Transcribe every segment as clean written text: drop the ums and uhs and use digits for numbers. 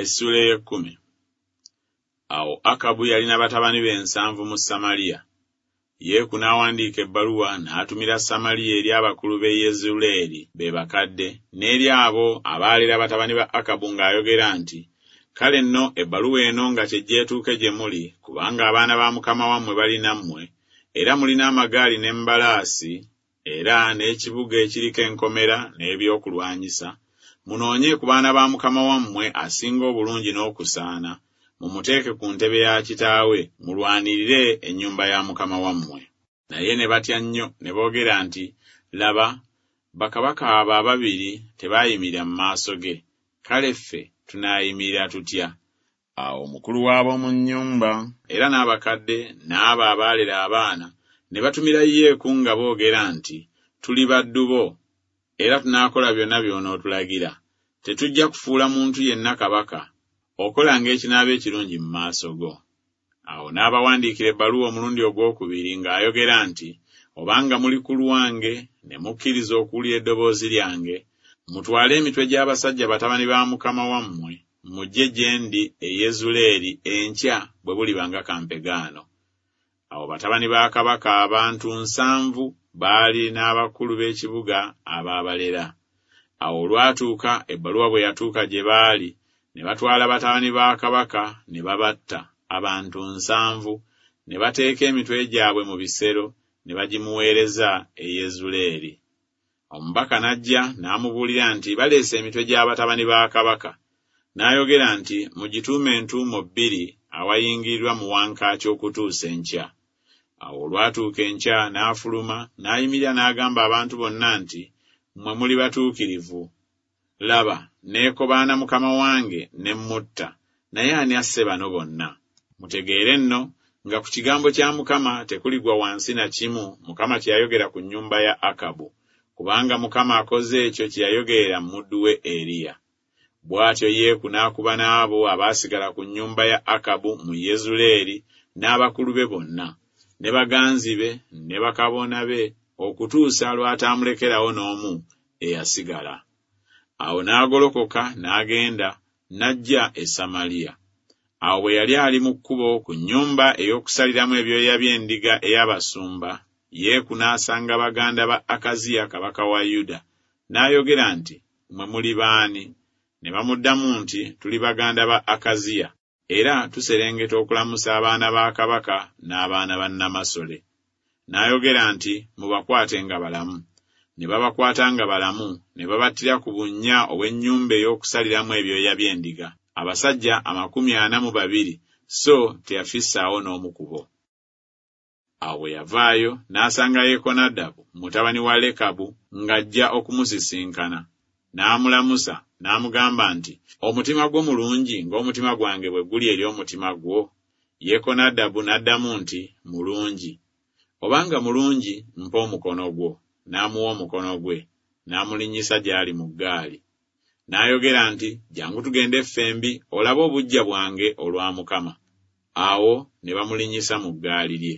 Essuula ey'ekkumi. Awo Akabu yalina batabani be 70 mu Samaliya. Yeeku n'awandiika ebbaluwa n'atumira Samaliya eri abakulu b'e Yezuleeri, be bakadde, n'eri abo abaalera batabani ba Akabu ng'ayogera nti, Kale nno ebbaluwa eno nga kyejje etuuke gye muli, kubanga abaana ba mukama wammwe bali nammwe, era mulina amagaali n'embalaasi, era n'ekibuga ekiriko enkomera n'ebyokulwanyisa, munoonye ku baana ba mukama wammwe asinga obulungi n'okusaana, mumuteeke ku ntebe ya kitaawe, mulwanirire ennyumba ya mukama wammwe. Naye ne batya nnyo ne boogera nti Laba, bakabaka abo ababiri tebaayimirira mu maaso ge, kale ffe tunaayimirira tutya? Awo omukulu w'ab'omu nnyumba era n'abakadde n'abo abaalera abaana ne batumira Yeeku nga boogera nti Tuli baddu bo, era tunaakola byonna by'onootulagira, tetujja kufuula muntu yenna kabaka, okolanga ekinaaba ekirungi mu maaso go. Awo n'abawandiikira ebbaluwa omulundi ogw'okubiri ng'ayogera nti Obanga muli ku lwange ne mukkiriza okuwulira eddoboozi lyange, mutwale emitwe gy'abasajja batabani ba mukama wammwe, mujje gye ndi e Yezuleeri enkya bwe buliba nga kampegaano. Awo batabani ba kabaka abantu nsanvu baali n'abakulu b'ekibuga abaabalera. Awo olwatuuka ebbaluwa bwe yatuuka gye baali, ne batwala batabani ba kabaka ne babatta, abantu 70, ne bateeka emitwe gyabwe mu bisero ne bagimuweereza e Yezuleeri. Omubaka n'ajja n'amubuulira nti Baleese emitwe gya batabani ba kabaka. N'ayogera nti Mugituume entuumo bbiri awayingirirwa mu wankaaki okutuusa enkya. Awo olwatuuka enkya n'afuluma n'ayimirira n'agamba abantu bonna nti Mmwe muli batuukirivu? Laba, neekobaana mukama wange ne mmutta, naye ani asse bano bonna? Mutegeere nno nga ku kigambo kya Mukama tekuligwa wansi na kimu Mukama kye yayogera ku nnyumba ya Akabu, kubanga Mukama akoze ekyo kye yayogerera mu muddu we Eriya. Bw'atyo Yeeku n'akuba n'abo abaasigala ku nnyumba ya Akabu mu Yezuleeri n'abakulu be bonna, ne baganzi be ne bakabona be, okutuusa lw'ataamulekerawo n'omu eyasigala. Awo n'agolokoka n'agenda, n'ajja e Samaliya. Awo bwe yali ali mu kkubo ku nnyumba ey'okusaliramu ebyoya by'endiga ey'abasumba, Yeeku n'asanga baganda ba Akaziya kabaka wa Yuda, n'ayogera nti Mmwe muli b'ani? Ne bamuddamu nti Tuli baganda ba Akaziya, era tuserengeta okulamusa abaana ba kabaka n'abaana ba nnamasole. N'ayogera nti Mubakwate nga balamu. Ne babakwata nga balamu, ne babattira ku bunnya obw'ennyumba ey'okusaliramu ebyoya by'endiga, abasajja 42, so teyafissaawo n'omu ku bo. Awo bwe yavaayo, n'asanga Yekonadabu mutabani wa Lekabu ng'ajja okumusisinkana, n'amulamusa, n'amugamba nti Omutima gwo mulungi ng'omutima gwange bwe guli eri omutima gwo? Yekonadabu n'addamu nti Mulungi. Obanga mulungi, mpa omukono gwo. N'amuwa omukono gwe, n'amulinnyisa gy'ali mu ggaali. N'ayogera nti Jjangu tugende ffembi, olabe obuggya bwange olwa Mukama. Awo ne bamulinnyisa mu ggaali lye.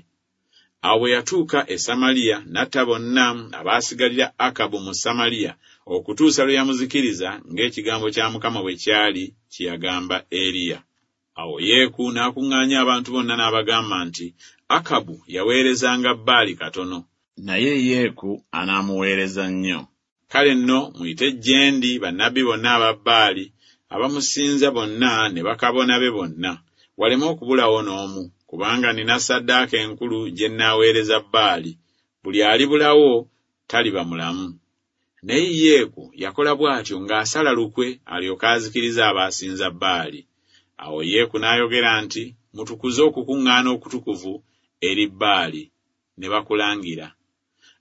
Awo bwe yatuuka e Samaliya, n'atta bonna abaasigalira Akabu mu Samaliya, okutuusa lwe yamuzikiriza ng'ekigambo kya Mukama bwe kyali kye yagamba Eriya. Awo Yeeku n'akuŋŋaanya abantu bonna n'abagamba nti Akabu yaweerezanga Baali katono, naye Yeeku anaamuweereza nnyo. Kale nno muyite gye ndi bannabbi bonna aba Baali abamusinza bonna ne bakabona be bonna, waleme okubulawo n'omu, kubanga nnina ssaddaaka enkulu gye nnaaweereza Baali, buli alibulawo taliba mulamu. Naye Yeeku yakola bw'atyo ng'asala lukwe alyoke azikirize abaasinza Baali. Awo Yeeku n'ayogera nti Mutukuze okukuŋŋaana okutukuvu eri Baali. Ne bakulangira.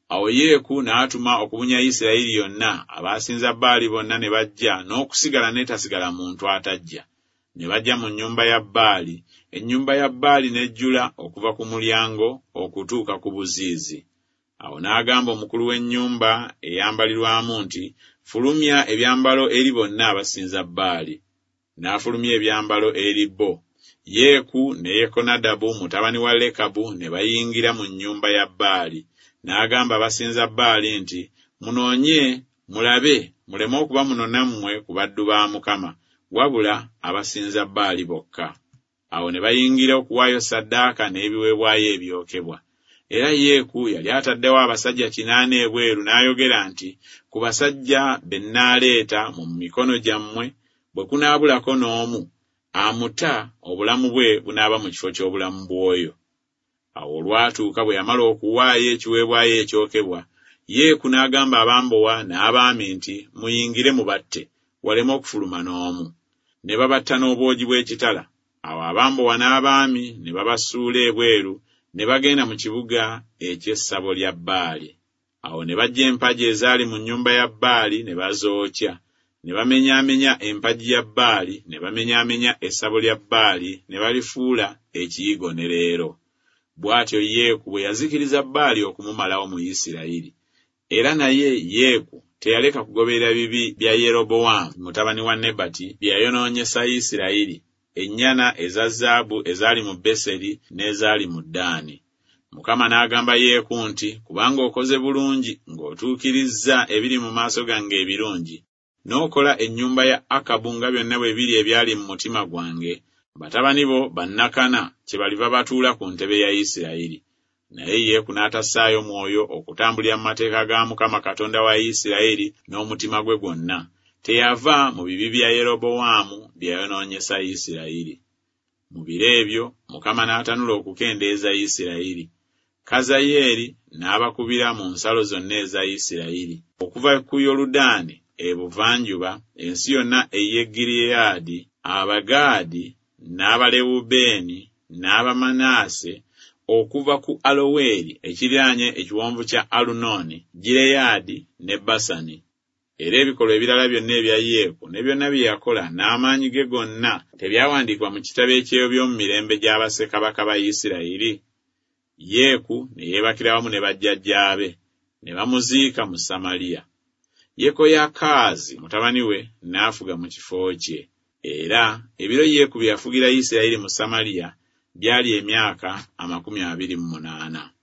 Awo Yeeku n'atuma okubunya Isirayiri yonna, abaasinza Baali bonna ne bajja n'okusigala n'etasigala muntu atajja. Ne bajja mu nnyumba ya Baali, ennyumba ya Baali n'ejjula okuva ku mulyango okutuuka ku buziizi. Awo n'agamba omukulu w'ennyumba eyambalirwamu nti Fulumya ebyambalo eri bonna abasinza Baali. N'afulumya ebyambalo eri bo. Yeeku ne Yekonadabu mutabani wa Lekabu ne bayingira mu nnyumba ya Baali. N'agamba abasinza Baali nti Munoonye, mulabe, muleme okuba muno nammwe ku baddu ba Mukama, wabula abasinza Baali bokka. Awo ne bayingira okuwaayo ssaddaaka n'ebiweebwayo ebyokebwa. Era Yeeku yali ataddewo abasajja kinaana ebweru n'ayogera nti, Ku basajja be nnaaleeta mu mikono gyammwe bwe kunaabulako n'omu, amuta obulamu bwe bunaaba mu kifo ky'obulamu bw'oyo. Awo olwatuuka bwe yamala okuwaayo ekiweebwayo ekyokebwa, Yeeku n'agamba abambowa n'abaami nti, Muyingire mubatte, waleme okufuluma n'omu. Ne babatta n'obwogi bw'ekitala. Awo abambowa n'abaami ne babasuula ebweru ne bagenda mu kibuga eky'essabo lya Baali. Awo ne baggya empagi ezaali mu nnyumba ya Baali ne bazookya, ne bamenyaamenya empagi ya Baali, ne bamenyaamenya essabo lya Baali ne balifuula ekiyigo ne leero. Bw'atyo Yeeku bwe yazikiriza Baali okumumalawo mu Isirayiri. Era naye Yeeku teyaleka kugoberera bibi bya Yerobowaamu mutabani wa Nebati bye yayonoonyesa Isirayiri, ennyana eza zaabu ezaali mu Beseri n'ezaali mu Ddaani. Mukama n'agamba Yeeku nti, Kubanga okoze bulungi ng'otuukirizza ebiri mu maaso gange ebirungi, n'okola ennyumba ya Akabu nga byonna bwe biri ebyali mu mutima gwange, batabani bo bannakana kyebaliva batuula ku ntebe ya Isirayiri. Naye Yeeku n'atassaayo mwoyo okutambulira mu mateeka ga Mukama Katonda wa Isirayiri n'omutima gwe gwonna, teyava mu bibi bya Yerobowaamu bye yayonoonyesa Isirayiri. Mu biro ebyo Mukama n'atanula okukendeeza Isirayiri. Kazayeeri n'abakubira mu nsalo zonna eza Isirayiri, okuva ku Yoludaani ebuvanjuba, ensi yonna ey'e Gireyaadi, Abagaadi n'Abalewubeeni n'Abamanaase, okuva ku Aloweri ekiriraanye ekiwonvu kya Alunooni, Gireyaadi ne Basani. Era ebikolwa ebirala byonna ebya Yeeku ne byonna bye yakola n'amaanyi ge gonna tebyawandiikibwa mu kitabo eky'eby'omu mirembe gya bassekabaka ba Isirayiri? Yeeku ne yeebakira wamu ne bajjajjaabe, ne bamuziika mu Samaliya. Yekoyakaazi mutabani we n'afuga mu kifo kye. Era ebiro Yeeku bye yafugira Isirayiri mu Samaliya byali emyaka 28.